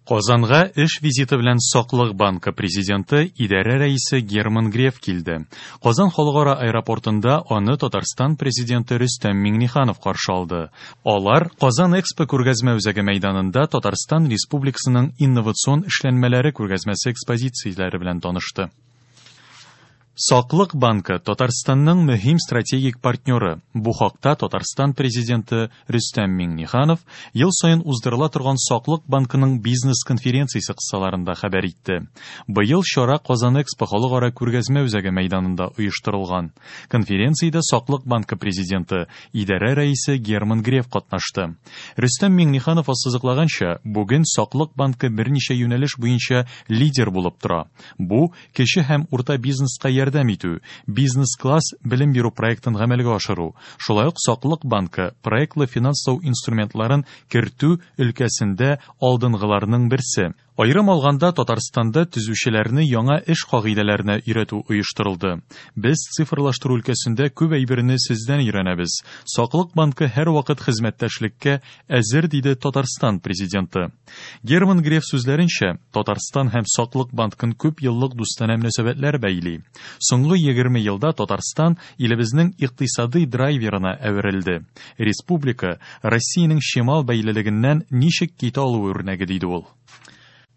Казанга эш визиты белән Саклык банкы президенты, идарә рәисе Герман Греф килде. Казан халыкара аэропортында аны Татарстан президенты Рөстәм Миңнеханов каршы алды. Алар Казан Экспо күргәзмә үзәге мәйданында Татарстан Республикасының инновацион эшләнмәләре күргәзмәсе экспозицияләре белән танышты. Саклык банкы Татарстанның мөһим стратегик партнеры. Бу хакта Татарстан президенты Рөстәм Миңнеханов ел саен уздырыла торган Саклык банкының бизнес-конференциясе кысаларында хәбәр итте. Быел чара Казан Экспо халыкара күргәзмә үзәге мәйданында оештырылган. Конференциядә Саклык банкы президенты, идарә рәисе Герман Греф катнашты. Рөстәм Миңнеханов ассызыклаганча, бүген Саклык банкы берничә юнәлеш буенча лидер булып тора. Бу кече һәм урта бизнеска ярдәм итү, бизнес-класс белем бирү проектын гамәлгә ашыру, шулай ук Саклык банкы проектлы финанслау инструментларын кертү өлкәсендә алдынгыларның берсе. Аерым алганда, Татарстанда төзүчеләрне яңа эш кагыйдәләренә өйрәтү оештырылды. Без цифрлаштыру өлкәсендә күп әйберне сездән өйрәнәбез. Саклык банкы һәрвакыт хезмәттәшлеккә әзер, диде Татарстан Президенты. Герман Греф сүзләренчә, Татарстан һәм Саклык банкын күп еллык дустанә мөнәсәбәтләр бәйли. Соңгы 20 елда Татарстан илебезнең икътисадый драйверына әверелде. Республика Россиянең чимал бәйлелегеннән ничек китә алуы үрнәге, диде ул.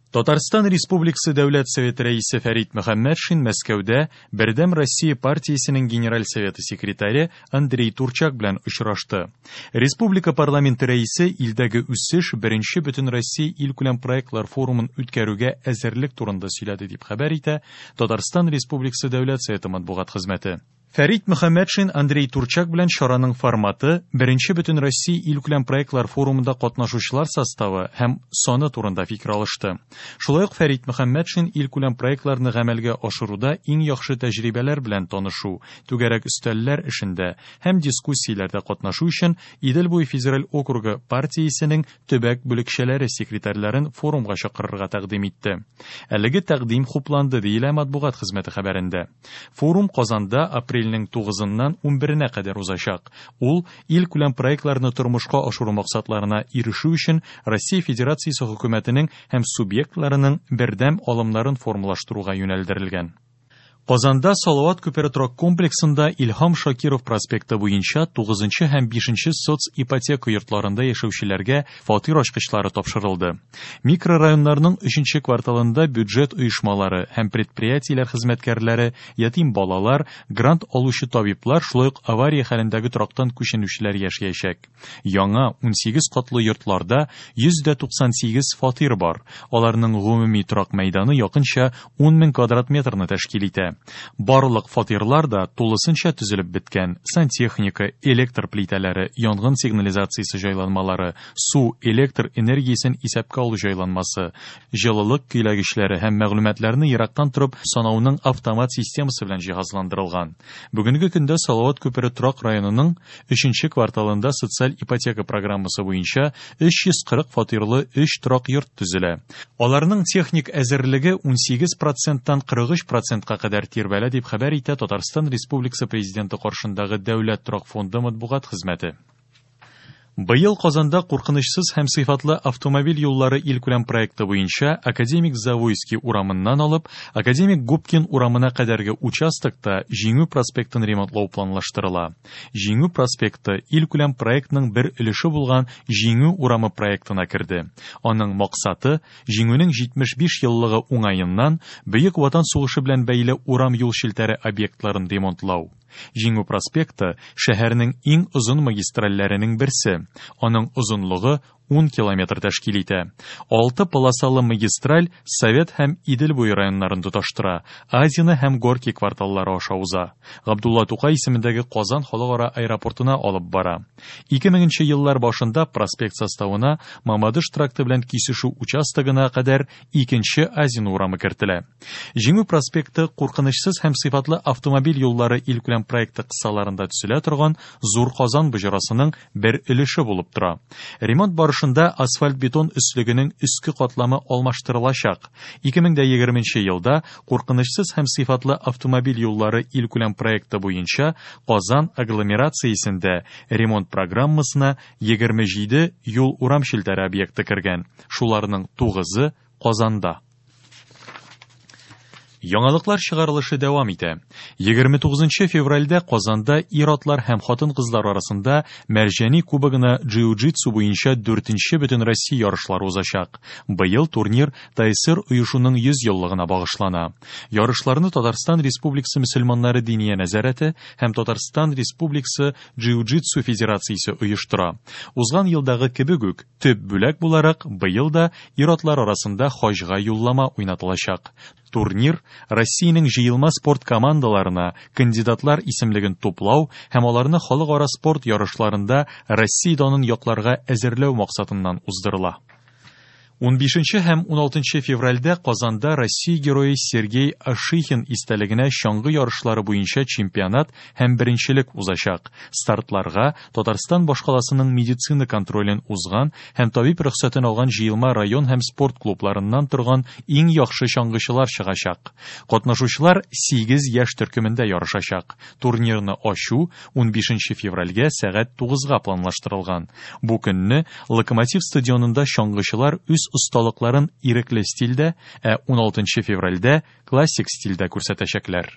Татарстан Республикасы Дәүләт Советы Рәисе Фәрит Мөхәммәтшин Мәскәүдә Бердәм Россия партиясенең Генераль Советы секретаре Андрей Турчак белән очрашты. Республика парламенты рәисе илдәге үсеш беренче Бөтенроссия илкүләм проектлар форумын үткәрүгә әзерлек турында сөйләде, дип хәбәр итә Татарстан Республикасы Дәүләт Советы матбугат хезмәте. Фәрит Мөхәммәтшин Андрей Турчак белән чараның форматы, беренче Бөтенроссия илкүләм проектлар форумында катнашучылар составы һәм саны турында фикер алышты. Шулай ук Фәрит Мөхәммәтшин илкүләм проектларны гамәлгә ашыруда иң яхшы тәҗрибәләр белән танышу, түгәрәк өстәлләр эшендә һәм дискуссияләрдә катнашу өчен Идел буе федераль округы партиясенең төбәк бүлекчәләре секретарьларын форумга чакырырга тәкъдим итте. Әлеге тәкъдим хупланды, диелә матбугат хезмәте хәбәрендә. Форум Казанда апрельнең 9-ыннан 11-нә кадәр узачак. Ул илкүләм проектларны тормышка ашыру максатларына ирешү өчен Россия Федерациясе Хөкүмәтенең һәм субъектларының бердәм алымнарын формалаштыруга юнәлдерелгән. Казанда Салават күпере торак комплексында Илһам Шакиров проспекты буенча 9 нчы һәм 5 нче соципотека йортларында яшәүчеләргә фатир ачкычлары тапшырылды. Микрорайоннарның өченче кварталында бюджет оешмалары һәм предприятиеләр хезмәткәрләре, ятим балалар, грант алучы табиблар, шулай ук авария хәлендәге торактан күченүчеләр яшәячәк. Яңа 18 катлы йортларда 198 фатир бар. Аларның гомуми торак мәйданы якынча 10 мең квадрат метрны тәшкил итә. Барлык фатирлар да тулысынча төзелеп беткән. Сантехника, электр плитәләре, янгын сигнализациясе җайланмалары, су, электр энергиясен исәпкә алу җайланмасы, җылылык көйләгечләре һәм мәгълүматларны ерактан торып санауның автомат системасы белән җиһазландырылган. Бүгенге көндә Салават күпере торак районының өченче кварталында социаль ипотека программасы буенча 340 фатирлы өч торак йорт төзелә. Аларның техник әзерлеге 18 проценттан 43 процентка кадәр тирбәлә, дип хәбәр итә Татарстан Республикасы Президенты каршындагы Дәүләт торак фонды матбугат хезмәте. Быел Казанда куркынычсыз һәм сыйфатлы автомобиль юллары илкүләм проекты буенча Академик Завойский урамыннан алып Академик Губкин урамына кадәрге участокта Җиңү проспектын ремонтлау планлаштырыла. Җиңү проспекты илкүләм проектның бер өлеше булган Җиңү урамы проектына керде. Аның максаты, Җиңүнең 75 еллыгы уңаеннан Бөек Ватан сугышы белән бәйле урам-юл челтәре объектларын ремонтлау. Җиңү проспекты, шәһәрнең иң озын магистральләренең берсе. Аның озынлыгы 10 километр тәшкил итә. Алты полосалы магистраль Совет һәм Идел буе районнарын тоташтыра, Азино һәм Горки кварталлары аша уза. Габдулла Тукай исемендәге Казан халыкара аэропортына алып бара. 2000 нче еллар башында проспект составына Мамадыш тракты белән кисешү участогына кадәр икенче Азино урамы кертелә. Җиңү проспекты куркынычсыз һәм сыйфатлы автомобиль юллары илкүләм проекты кысаларында төзелә торган Зур Казан боҗрасының бер өлеше булып тора. Ремонт барышында барышында асфальт-бетон өслегенең өске катламы алмаштырылачак. 2020 нче елда Куркынычсыз һәм сыйфатлы автомобиль юллары илкүләм проекты буенча Казан агломерациясендә ремонт программасына 27 юл-урам челтәре объекты кергән, шуларның тугызы, Казанда. Яңалыклар чыгарылышы дәвам итә. 29 февральдә Казанда ир-атлар һәм хатын-кызлар арасында Мәрҗани кубогына джиу-джитсу буенча дүртенче Бөтенроссия ярышлары узачак. Быел турнир ТАССР оешуның 100 еллыгына багышлана. Ярышларны Татарстан Республикасы мөселманнары Диния нәзарәте һәм Татарстан Республикасы Джиу-джитсу федерациясе оештыра. Узган елдагы кебек үк, төп бүләк буларак, быел да ир-атлар арасында хаҗга юллама уйнатылачак. Турнир Россиянең җыелма спорт командаларына кандидатлар исемлеген туплау һәм аларны халыкара спорт ярышларында Россия данын якларга әзерләү максатыннан уздырыла. Унбишенче һәм уналтынчы февральдә Казанда Россия Герое Сергей Ашихин истәлегенә чаңгы ярышлары буенча чемпионат һәм беренчелек узачак. Стартларга Татарстан башкаласының медицина контролен узган һәм табиб рөхсәтен алган җыелма район һәм спорт клубларыннан торган иң яхшы чаңгычылар чыгачак. Катнашучылар сигез яшь төркемендә ярышачак. Турнирны ачу унбишенче февральгә сәгать тугызга планлаштырылган. Бу көнне Локомотив стадионында чаңгычылар үз осталыкларын ирекле стильдә, ә уналтынчы февральдә классик стильдә күрсәтәчәкләр.